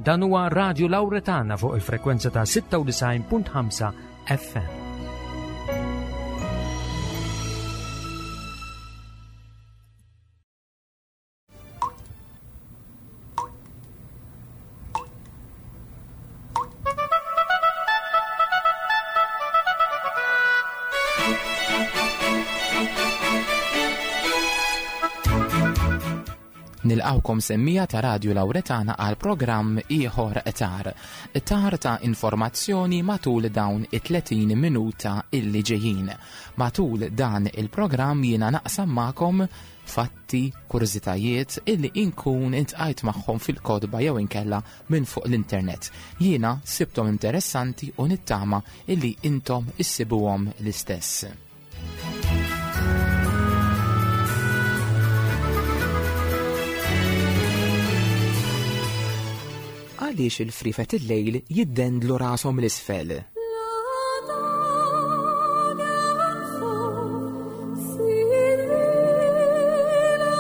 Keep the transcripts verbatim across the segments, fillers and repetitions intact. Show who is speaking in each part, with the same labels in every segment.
Speaker 1: Dan huwa Radio Lauretana fuq il-frekwenza ta' sitta u disgħin punt ħamsa F M.
Speaker 2: Nilqawkom, semmiegħa ta' Radio Lauretana, għal programm ieħor tar. Tar ta' informazzjoni matul dawn it-tletin minuta illi ġejjin. Matul dan il-programm jiena naqsam magħkom fatti, kurżitajiet illi inkun iltqajt magħhom fil-kotba jew inkella minn fuq l-internet. Jiena sibtom interessanti u nittama illi intom issibuhom l-istess. Għaliex il-frifet il-lejl jiddendlu rashom 'l isfel?
Speaker 3: La dagen får sin hvile nå,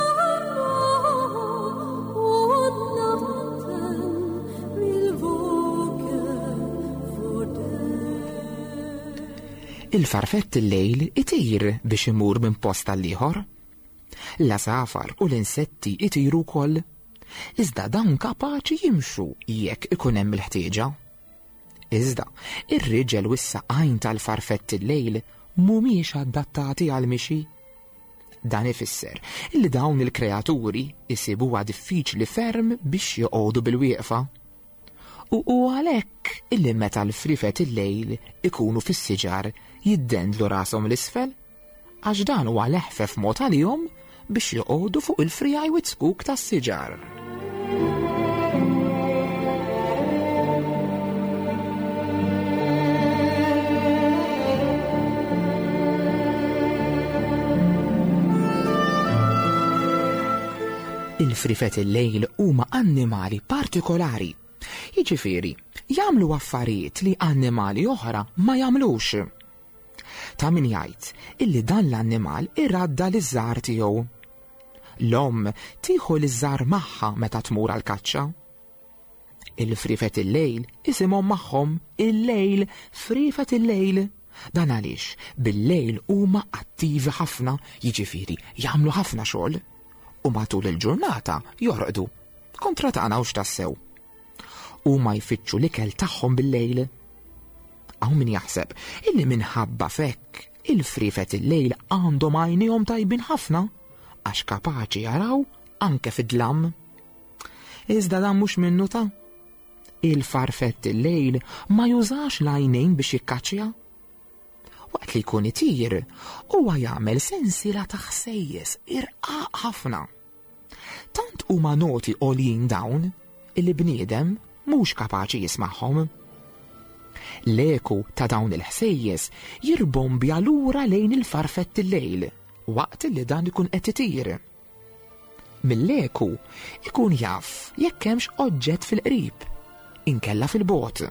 Speaker 3: og natten vil våke for deg.
Speaker 2: Il-farfett il-lejl itir biex imur minn post għal ieħor. L-għasafar u l-insetti itiru wkoll. Iżda dawn kapaċi jimxu jekk ikun hemm il-ħtieġa. Iżda, ir-riġel u s-saqajn tal-farfett il-lejl mhumiex adattati għal mixi. Dan ifisser li dawn il-kreaturi isibuha diffiċli ferm biex joqogħdu bil-wieqfa. U u għalhekk illi meta l-frifet il-lejl ikunu fis-siġar jiddendlu rashom 'l isfel, għax dan huwa l-eħfef mod għalihom biex joqogħdu fuq il-frijaj u zkuk tas-siġar. Il-frifet il-lejl huma annimali partikolari. Jiġifieri, jagħmlu affarijiet li annimali oħra ma jagħmlux. Ta' min jgħid illi dan l-annimal iradda liż-żgħar tiegħu. L-om tieħu liż-żgħar magħha meta tmur għal-kaċċa. Il-frifet il-lejl isimhom magħhom il-lejl, frifet il-lejl. Dan għaliex bil-lejl huma attivi ħafna, jiġifieri jagħmlu ħafna xogħol u matul il-ġurnata jorqdu. Kontra tagħna hux tassew. Huma jfittxu l-ikel tagħhom bil-lejl. Hawn min jaħseb illi minħabba f'hekk il-frifet il-lejl għandhom għajnejhom tajbin ħafna għax kapaċi jaraw anke fid-dlam. Iżda dan mhux minnu ta'. Il-farfett il-lejl ma jużax l-għajnejn biex jikkaċċja. Waqt li jkun itir, huwa jagħmel sensiela ta' ħsejjes irqaq ħafna. Tant huma noti għoljin dawn illi bniedem mhux kapaċi jismagħhom. L-eku ta' dawn il-ħsejjes jirbombja lura lejn il-farfett il-lejl waqt li dan ikun qed itir. Mill-eku ikun jaf jekk hemmx oġġett fil-qrib, inkella fil-bogħod.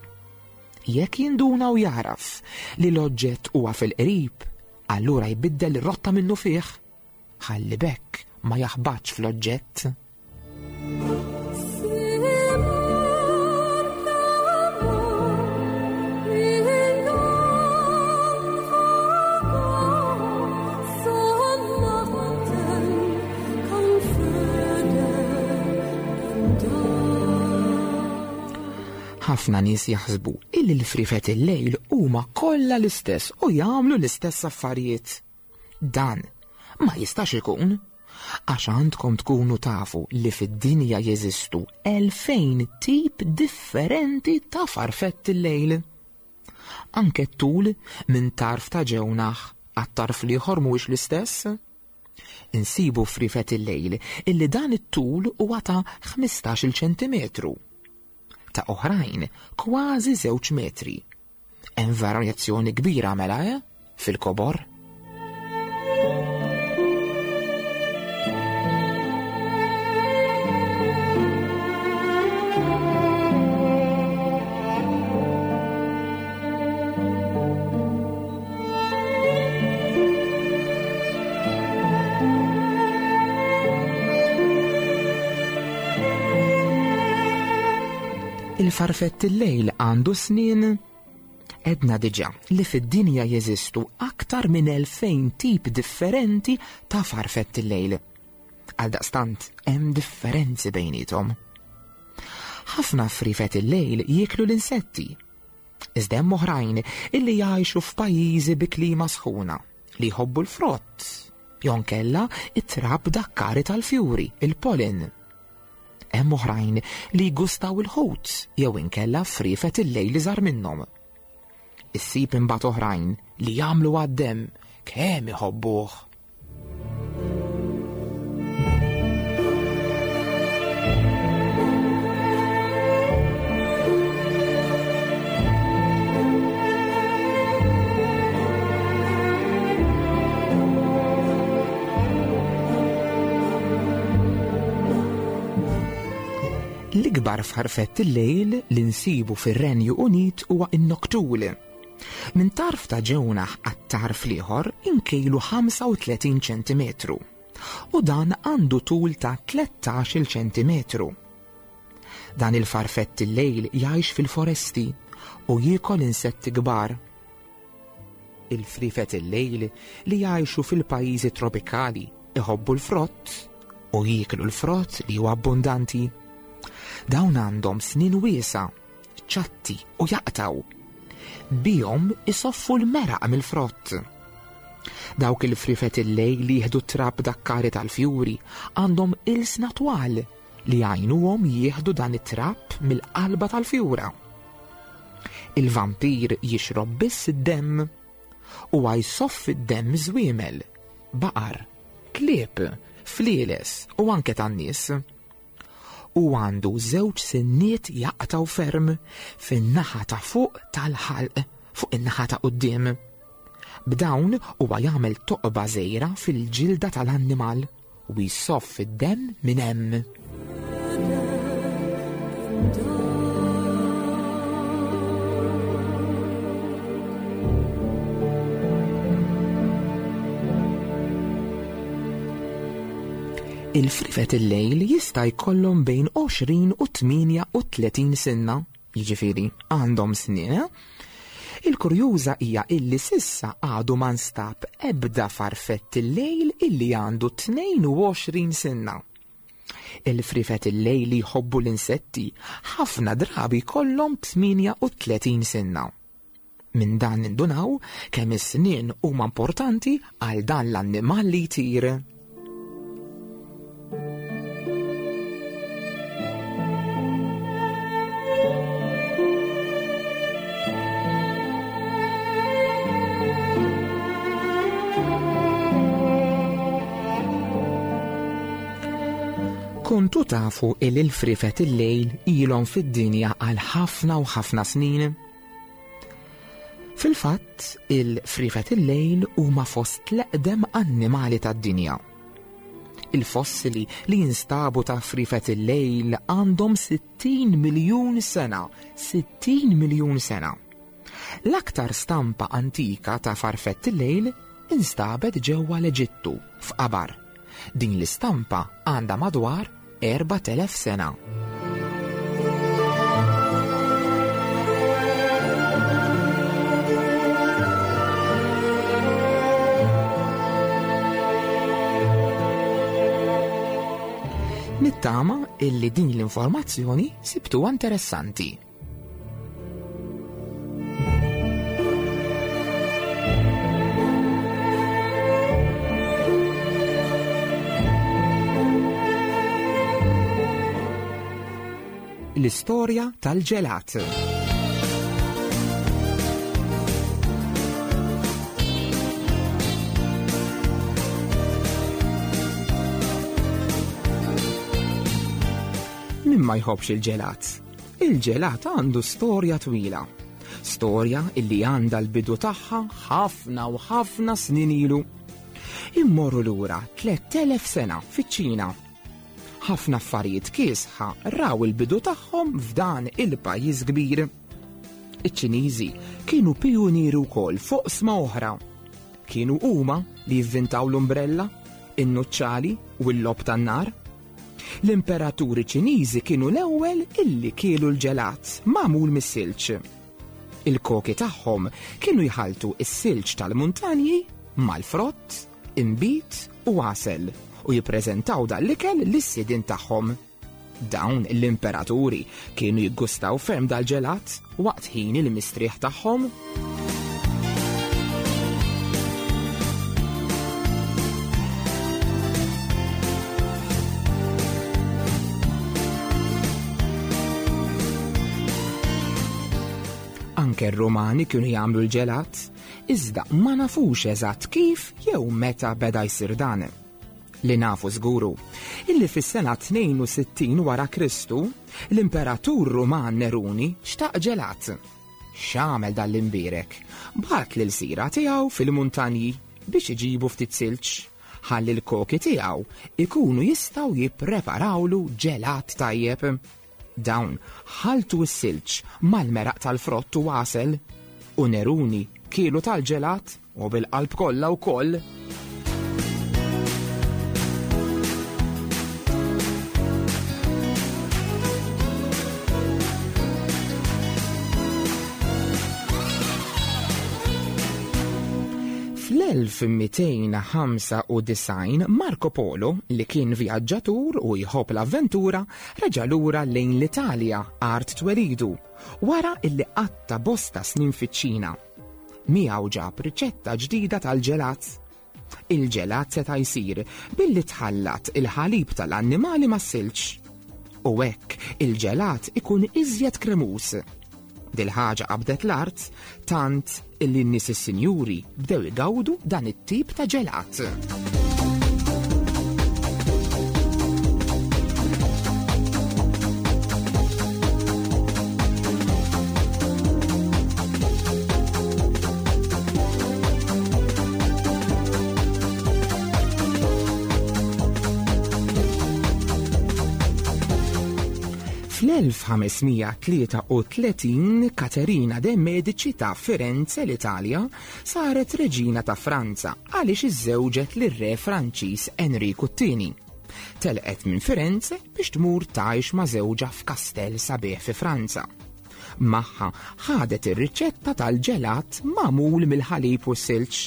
Speaker 2: Jekk jinduna u jaraf li l-oġġett huwa fil-qrib, allura jbiddel ir-rotta minnu fih. Ħalli b'hekk ma jaħbatx fl-oġġett.
Speaker 3: Se mørket nå vil få gå, så natten kan føde en dag.
Speaker 2: Ħafna nies jaħsbu illi l-frifet il-lejl huma kollha l-istess u jagħmlu l-istess affarijiet. Dan ma jistax ikun, għax għandkom tkunu tafu li fid-dinja jeżistu elfejn tip differenti ta' farfett il-lejl. Anke tul minn tarf ta' ġewnaħ għat-tarf l-ieħor mhuwiex l-istess. Insibu frifet il-lejl illi dan it-tul huwa ta' ħmistax-il ċentimetru. Ta' oħrajn kważi żewġ metri. Hemm varjazzjoni kbira mela, eh? Fil-kobor. Il-farfett il-lejl għandu snien? Edna diġà li fid-dinja jeżistu aktar minn elfejn tip differenti ta' farfett il-lejl. Għaldaqstant hemm differenzi bejniethom. Ħafna frifet il-lejl jieklu l-insetti. Iżda hemm oħrajn illi jgħixu f'pajjiżi bi klima sħuna li jħobbu l-frott, jew inkella it-trab dakkari tal-fjuri, il-pollen. Hemm oħrajn li jgustaw il-ħut jew inkella frifet il-lejl iżgħar minnhom. Issib imbagħad oħrajn li jagħmlu għad-demm kemm iħobbuh. L-ikbar farfett il-lejl li nsibu fir-Renju Unit huwa n-noktul. Minn tarf ta' ġewnaħ għat-tarf l-ieħor inkejlu ħamsa u tletin ċentimetru u dan għandu tul ta' tlettax-il ċentimetru. Dan il-farfett il-lejl jgħix fil-foresti u jiekol insetti kbar. Il-frifet il-lejl li jgħixu fil-pajjiżi tropikali iħobbu l-frott u jieklu l-frott li huwa abbundanti. Dawn għandhom snien wiesa, ċatti u jaqtaw. Bihom isoffu l-meraq mill-frott. Dawk il-frifet il-lejl li jieħdu trab dakkari tal-fjuri għandhom ilsna twal li jgħinuhom jieħdu dan it-trab mill-qalba tal-fjura. Il-vampir jixrob biss id-demm u jsoffi d-demm żwiemel, baqar, klieb, flieles u anke tan-nies. U għandu żewġ sinniet jaqtaw ferm fin-naħa ta' fuq tal-ħalq fuq in-naħa ta' quddiem. B'dawn huwa jagħmel toqba żgħira fil-ġilda tal-annimal u jsoff id-demm minn hemm. Il-frifet il-lejl jista' jkollhom bejn għoxrin u tmienja u tletin sinna, jiġifieri għandhom snien. Il-kurjuża hija illi sissa għadu ma nstab ebda farfett il-lejl illi għandu tnejn u għoxrin sinna. Il-frifet il-lejl li jħobbu l-insetti ħafna drabi jkollhom tmienja u tletin sinna. Minn dan nindunaw kemm is-snien huma importanti għal dan l-annimal li jtir. Kontu tafu il il-frifet il-lejl ilhom fid-dinja għal ħafna u ħafna snin? Fil-fatt, il-frifet il-lejl huma fost l-eqdem annimali tad-dinja. Il-fossili li jinstabu ta' frifet il-lejl għandhom sittin miljun sena, sittin miljun sena. L-aktar stampa antika ta' farfett il-lejl instabet ġewwa l-Eġittu, f'qabar. Din l-istampa għandha madwar erbat elef sena. Nittama illi din l-informazzjoni sibtuha interessanti. L-istorja tal-ġelat. Min ma jħobbx il-ġelat? Il-ġelat għandu storja twila. Storja illi għandha l-bidu tagħha ħafna u ħafna snin ilu. Immorru lura tliet elef sena fiċ-Ċina. Ħafna affarijiet kiesħa raw il-bidu tagħhom f'dan il-pajjiż kbir. Iċ-Ċiniżi kienu pijunieri wkoll fuq sma oħra. Kienu huma li jivvintaw l-umbrella, in-nuċċali u l-lob tan-nar. L-imperaturi Ċiniżi kienu l-ewwel illi kielu l-ġelat magħmul mis-silġ. Il-koki tagħhom kienu jħaltu s-silġ tal-muntanji mal-frott, inbid u għasel u jippreżentaw dan l-ikel lis-sidien tagħhom. Dawn l-imperaturi kienu jiggustaw ferm dal-ġelat waqt ħin il-mistrieħ tagħhom. Anke r-Rumani kienu jagħmlu l-ġelat, iżda ma nafux eżatt kif jew meta beda jsir dan. Li nafu żguru, illi fis-sena tnejn u sittin wara Kristu, l-Imperatur Ruman Neruni xtaq ġelat. X'għamel dan l-imbierek? Bagħat lil sira tiegħu fil-muntanji biex iġibu ftit silġ, ħalli l-koki tiegħu ikunu jistgħu jippreparawlu ġelat tajjeb. Dawn ħaltu s-silġ mal-meraq tal-frott u għasel, u Neruni kielu tal-ġelat u bil-qalb kollha wkoll. Fl-elf mitejn ħamsa u disgħin Marco Polo, li kien vjaġġatur u jħobb l-avventura, reġa' lura lejn l-Italja art twelidu, wara illi qatta bosta snin fiċ-Ċina. Miegħu ġab riċetta ġdida tal-ġelat. Il-ġelat seta' jsir billi tħallat il-ħalib tal-annimali mas-silġ. U hekk il-ġelat ikun iżjed kremus. Dil-ħaġa qabdet l-art tant illi n-nies is-sinjuri bdew igawdu dan it-tip ta' ġelat. Fl-elf ħamesmija tlieta u tletin Katerina de Medici ta' Firenze l-Italja saret reġina ta' Franza għaliex iżżewġet lir-re Franċiż Enriku t-tieni. Telqet minn Firenze biex tmur tgħix ma' żewġha f'kastell sabiħ fi Franza. Magħha ħadet ir-riċetta tal-ġelat magħmul mill-ħalib u s-silġ.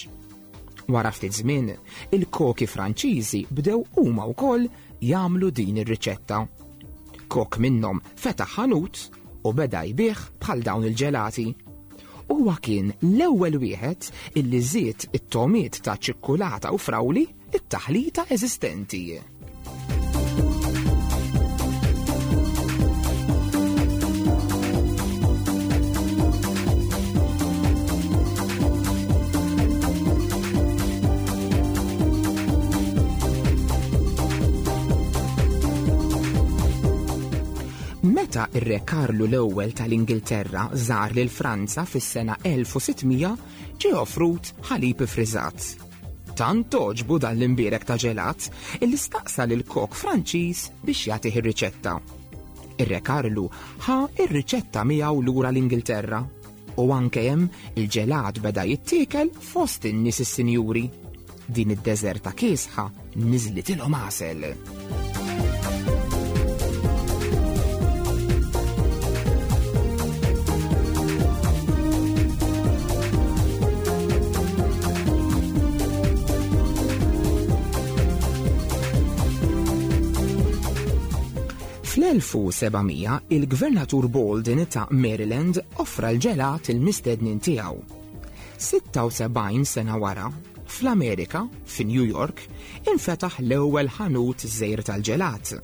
Speaker 2: Wara ftit żmien, il-koki Franċiżi bdew huma wkoll jagħmlu din ir-riċetta. Kok minnhom fetaħ ħanut u beda jbigħ bħal dawn il-ġelati. Huwa kien l-ewwel wieħed illi żied it-tomiet ta' ċikkulata u frawli it-taħlita eżistenti. Meta ir-Re Karlu l-ewwel tal-Ingilterra żar lil Franza fis-sena elf u sittmija, ġie offrut ħalib ifriżat. Tant toġbu dan l-imbierek ta' ġelat illi staqsa lil kok Franċiż biex jagħtih ir-riċetta. Ir-Re Karlu ħa ir-riċetta miegħu lura l-Ingilterra u anke hemm il-ġelat beda jittiekel fost in-nies is-sinjuri. Din id-deżerta kiesħa niżlitilhom għasel. Fl-elf u sebgħamija il-Gvernatur Bolden ta' Maryland offra l-ġelat il-mistednin tiegħu. Sitta u sebgħin sena wara, fl-Amerika, fi New York, infetaħ l-ewwel ħanut żgħir tal-ġelat.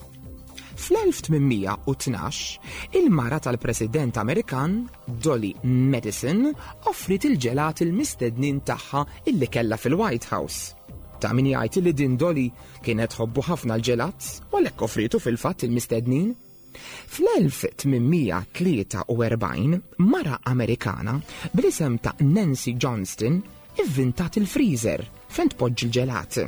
Speaker 2: Fl-elf tmienmija u tnax, il-mara tal-President Amerikan, Dolly Madison, offrit il-ġelat il-mistednin tagħha illi kellha fil-White House. Ta' min jgħid li din Dolly kienet tħobbu ħafna l-ġelat u għalhekk offritu fil-fatt il-mistednin. Fl-elf tmienmija tlieta u erbgħin, mara Amerikana bl-isem ta' Nancy Johnston ivvintat il-freezer fejn tpoġġi l-ġelat.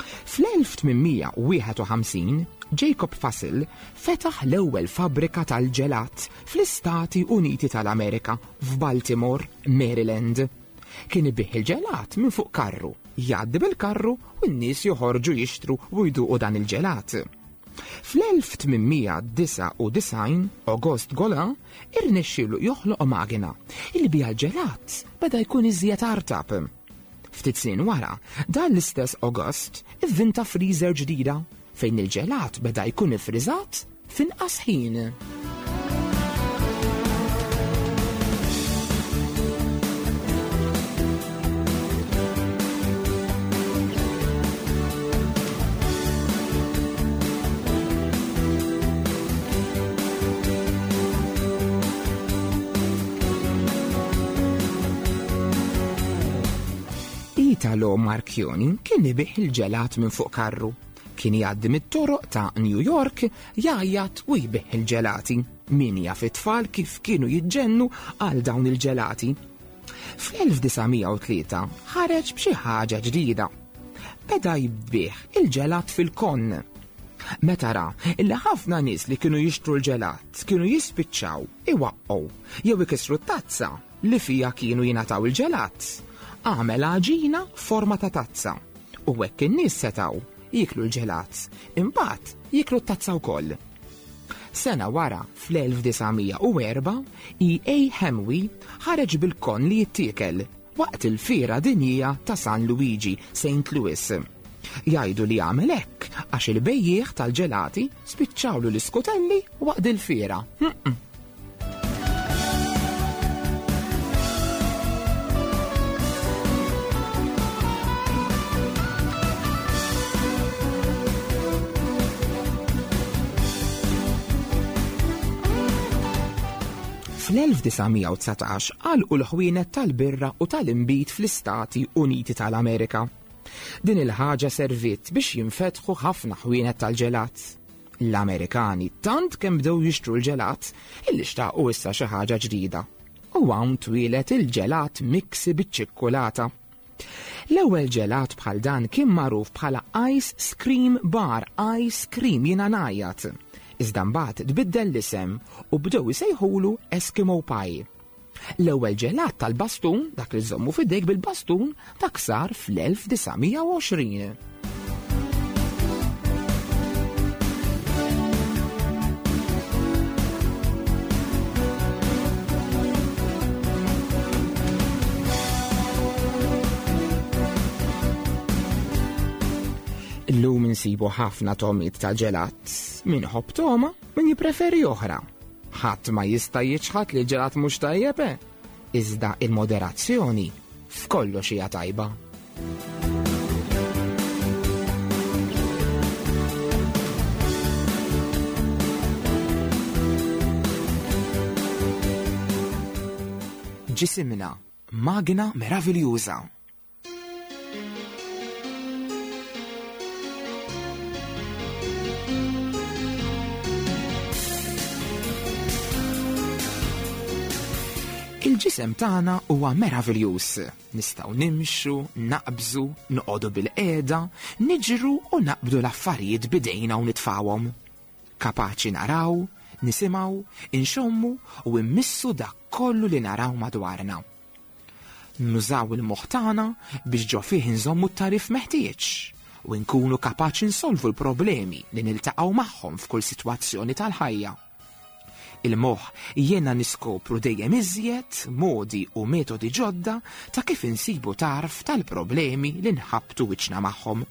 Speaker 2: Fl-elf tmienmija wieħed u ħamsin, Jacob Fussell fetaħ l-ewwel fabbrika tal-ġelat fl-Istati Uniti tal-Amerika f'Baltimore, Maryland. Kien ibih il-ġelat minn fuq karru, jgħaddi bil-karru u n-nies joħorġu jixtru u jduqu dan il-ġelat. Fl-elf tmien mija disgħa u disgħin, Auguste Golin irnexxielu joħloq magna illi biha l-ġelat beda jkun iżjed artab. Ftit snin wara, dan l-istess Auguste ivvinta freezer ġdida fejn il-ġelat beda jkun ifriżat f'inqas ħin. Italo Marchioni kien ibigħ il-ġelat minn fuq karru. Kien jgħaddi mit-toroq ta' New York jgħajjat u jbigħ il-ġelati. Min jaf it-tfal kif kienu jiġġennu għal dawn il-ġelati. Fl-elf disa' mija u tlieta ħareġ b'xi ħaġa ġdida. Beda jbigħ il-ġelat fil-kon. Meta ra illi ħafna nies li kienu jixtru l-ġelat kienu jispiċċaw iwaqqgħu jew ikissru t-tazza li fija kienu jingħataw il-ġelat, għamel għaġina forma ta' tazza u hekk in-nies setgħu jiklu l-ġelat, imbagħad jiklu t-tazza wkoll. Sena wara, fl-elf disa' mija u erba', E A Hamway ħareġ bil-kon li jittiekel waqt il-Fiera Dinjija ta' San Luigi, Saint Louis. Jgħidu li għamel hekk għax il-bejjiegħ tal-ġelati spiċċawlu l-iskutelli waqt il-fiera. Mm-mm. Fl-elf disa' mija u dsatax għalqu l-ħwienet tal-birra u tal-inbid fl-Istati Uniti tal-Amerika. Din il-ħaġa serviet biex jinfetħu ħafna ħwienet tal-ġelat. L-Amerikani tant kemm bdew jixtru l-ġelat illi xtaqu issa xi ħaġa ġdida. U hawn twieled il-ġelat miksi biċ-ċikkulata. L-ewwel ġelat bħal dan kien magħruf bħala Ice Cream Bar, Ice Cream jiena ngħajjat. Iżda mbagħad tbiddel l-isem u bdew isejħulu Eskimo Pie. L-ewwel ġelat tal-bastun, dak li żommu f'idejk bil-bastun, dak sar fl-elf disa' mija u għoxrin. Illum insibu ħafna tomiet ta' ġelat, min ħobb toma, min jippreferi oħra. Ħadd ma jista' jiċħad li l-ġelat mhux tajjeb, eh? Iżda il-moderazzjoni f'kollox hija tajba. Ġisimna, magna meraviljuża. Il-ġisem tagħna huwa meraviljuż. Nistgħu nimxu, naqbżu, noqogħdu bil-qiegħda, niġru u naqbdu l-affarijiet bidejna u nitfawhom. Kapaċi naraw, nisimgħu, inxommu u immissu dak kollu li naraw madwarna. Nużaw il-moħħ tagħna biex ġo fih inżommu t-tarif meħtieġ u nkunu kapaċi nsolvu l-problemi li niltaqgħu magħhom f'kull sitwazzjoni tal-ħajja. Il-moħħ jiena niskopru dejjem iżjed modi u metodi ġodda ta' kif insibu tarf tal-problemi li nħabtu wiċċna magħhom.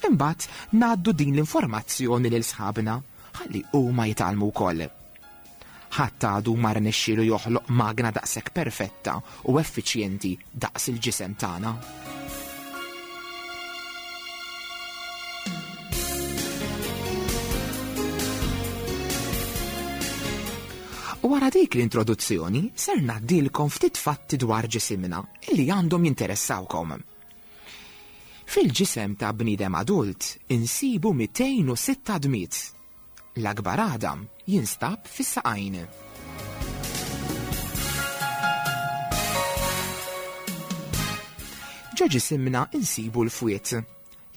Speaker 2: Imbagħad ngħaddu din l-informazzjoni lil sħabna ħalli huma jitgħallmu wkoll. Ħadd għadu ma rnexxielu joħloq magna daqshekk perfetta u effiċjenti daqs il-ġisem tagħna. U wara dik l-introduzzjoni ser ngħaddilkom ftit fatti dwar ġisimna illi għandhom jinteressawkom. Fil-ġisem ta' bniedem adult insibu mitejn u sitta dmiet. L-akbar għadam jinstab fis-saqajn. Ġo ġisimna insibu l-fwiet.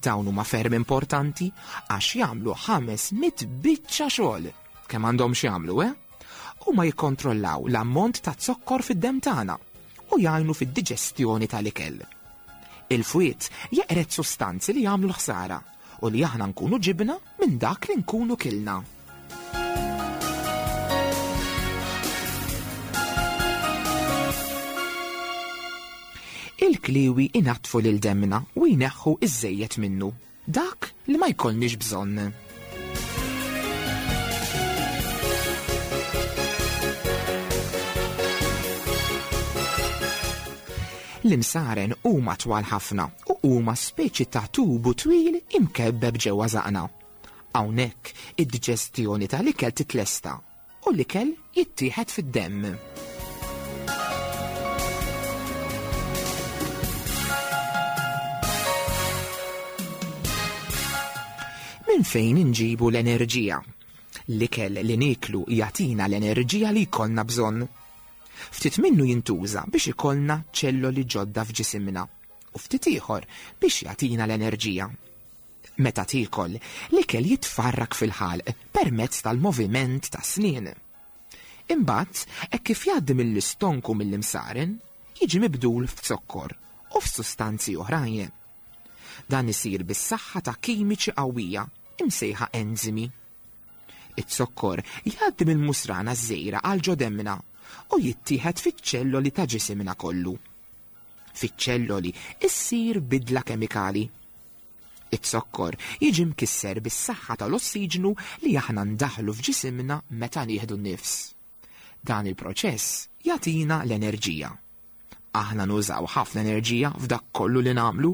Speaker 2: Dawn huma ferm importanti għax jagħmlu ħames mitt biċċa xogħol. Kemm għandhom x'jagħmlu, eh? Huma jikkontrollaw l-ammont ta' zokkor fid-demm tagħna u jgħinu fid-diġestjoni tal-ikel. Il-fwiet jeqred sustanzi li jagħmlu l-ħsara u li aħna nkunu ġibna minn dak li nkunu kilna. Il-kliwi inatfu lil demna u jneħħu iż-żejjed minnu, dak li ma jkollniex bżonn. L-imsaren huma twal ħafna u huma speċi ta' tubu twil imkebbeb ġewwa żaqna. Hawnhekk id-diġestjoni tal-ikel titlesta u l-ikel jittieħed fid-demm. Minn fejn inġibu l-enerġija? L-ikel li nieklu jagħtina l-enerġija li jkollna bżonn. Ftit minnu jintuża biex ikollna ċelloli ġodda f'ġisimna u ftit ieħor biex jagħtina l-enerġija. Meta tiekol, l-ikel jitfarrak fil-ħalq permezz tal-moviment ta' snien. Imbagħad, hekk kif jgħaddi mill-istonku mill-imsaren, jiġi mibdul f'zokkor u f'sustanzi oħrajn. Dan isir bis-saħħa ta' kimiċi qawwija imsejħa enzimi. Iz-zokkor jgħaddi mill-musrana żgħira għal ġo demmna u jittieħed fiċ-ċelloli ta' ġisimna kollu. Fiċ-ċelloli issir bidla kemikali. Iz-zokkor jiġi mkisser bis-saħħa tal-ossiġnu li aħna ndaħlu f'ġisimna meta nieħdu n-nifs. Dan il-proċess jagħtina l-enerġija. Aħna nużaw ħafna enerġija f'dak kollu li nagħmlu.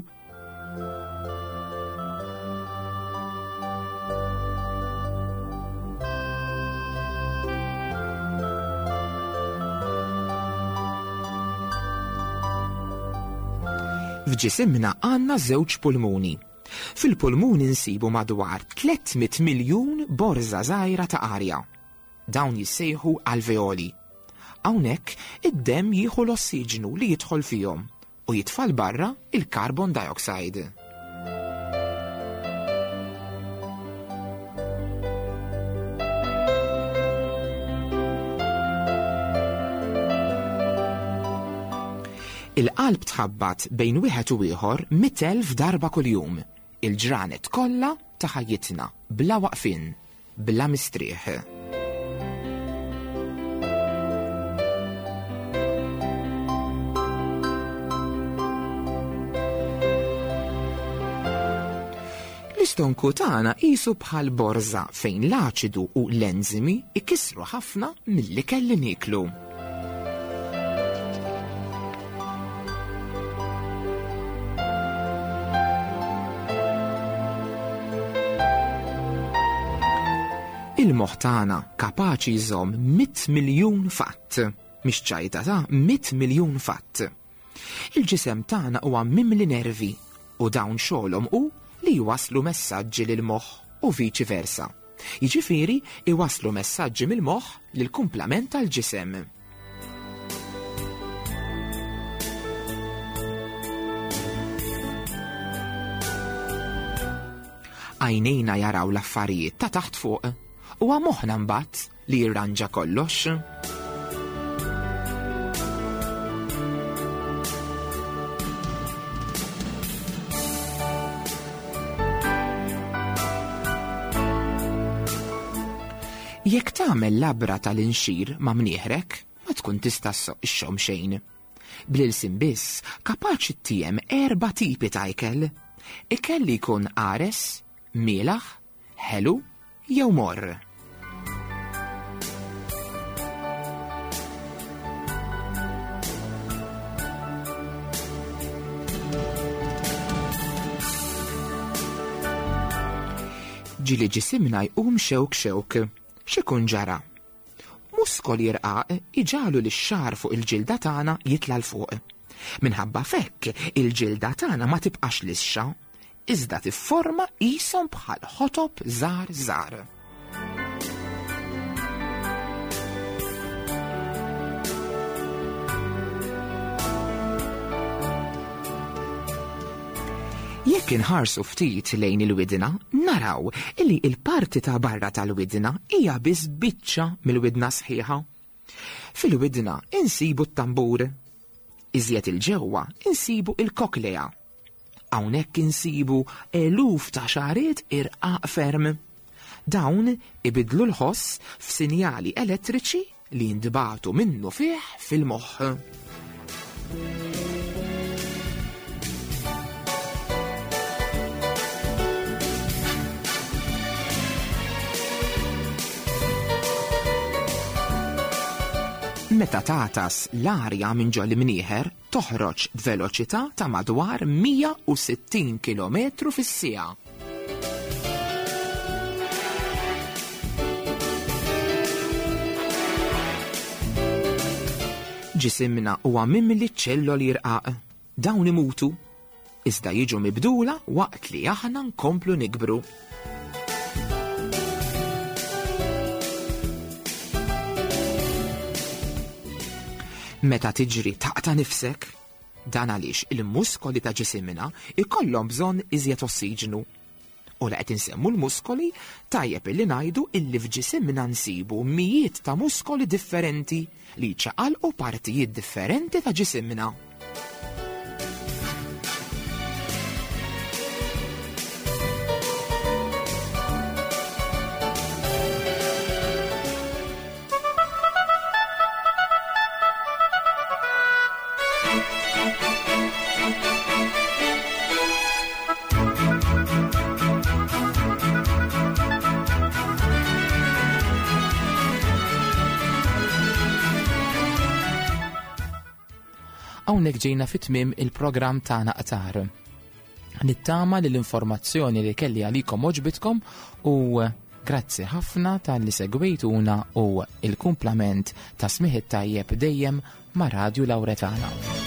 Speaker 2: F'ġisimna għandna żewġ pulmuni. Fil-pulmuni nsibu madwar tliet mitt miljun borża żgħira ta' arja. Dawn jissejħu alveoli. Hawnhekk id-demm jieħu l-ossiġnu li jidħol fihom u jitfal barra il-carbon dioxide. Il-qalb tħabbat bejn wieħed u ieħor mitt elf darba kuljum, il-ġranet kollha ta' ħajjitna, bla waqfien, bla mistrieħ. L-istonku tagħna qisu bħal borża fejn l-aċidu u l-enzimi ikissru ħafna mill-ikel li nieklu. Il-moħħ tagħna kapaċi jżomm mitt miljun fatt, mhix ċajta ta' mitt miljun fatt. Il-ġisem tagħna huwa mimli nervi u dawn xogħolhom hu li jwasslu messaġġi lil moħħ u viċi versa. Jiġifieri iwasslu messaġġi mill-moħħ lill-kumplament tal-ġisem. Għajnejna jaraw l-affarijiet ta' taħt fuq u moħħna mbagħad li jirranġa kollox. Jekk tagħmel labra tal-inxir ma' mnieħrek, ma tkun tista' ssoq ixxomm xejn. Bl-ilsien biss kapaċi tiem erba' tipi ta' ikel. Ikel li jkun qares, mielaħ, ħelu jew morr. Ġieli ġisimna jqum xewk xewk, x'ikun ġara? Muskoli jirqaq iġalu li x-xagħar fuq il-ġilda tagħna jitla' 'l fuq. Minħabba fekk il-ġilda tagħna ma tibqax lixxa, iżda tifforma qishom bħal ħotob żgħar żgħar. Jekk inħarsu ftit lejn il-widna, naraw illi il-parti ta' barra tal-widna hija biss biċċa mill-widna sħiħa. Fil-widna insibu t-tambur. Iżjed il-ġewwa insibu il-koklea. Hawnhekk insibu eluf ta' xagħriet irqaq ferm. Dawn ibidlu l-ħoss f'sinjali elettriċi li jintbagħtu minnufih fil-moħħ. Meta tagħtas l-arja minn ġol imnieħer toħroġ b'veloċità ta' madwar mija u sittin kilometru fis-siegħa. Ġisimna huwa mimli ċelloli rqaq. Dawn imutu, iżda jiġu mibdula waqt li aħna nkomplu nikbru. Meta tiġri taqta' nifsek, dan għaliex il-muskoli ta' ġisimna ikollhom bżonn iżjed ossiġnu. U la qed insemmu l-muskoli, tajjeb illi ngħidu illi f'ġisimna nsibu mijiet ta' muskoli differenti li jċaqalqu partijiet differenti ta' ġisimna. Hawnhekk ġejna fit-tmiem il-programm tagħna Qtar. Nittama li l-informazzjoni li kelli għalikom għoġbitkom u grazzi ħafna talli segwejtuna u il-kumplament ta' smigħ it-tajjeb dejjem ma' Radju Lawretana.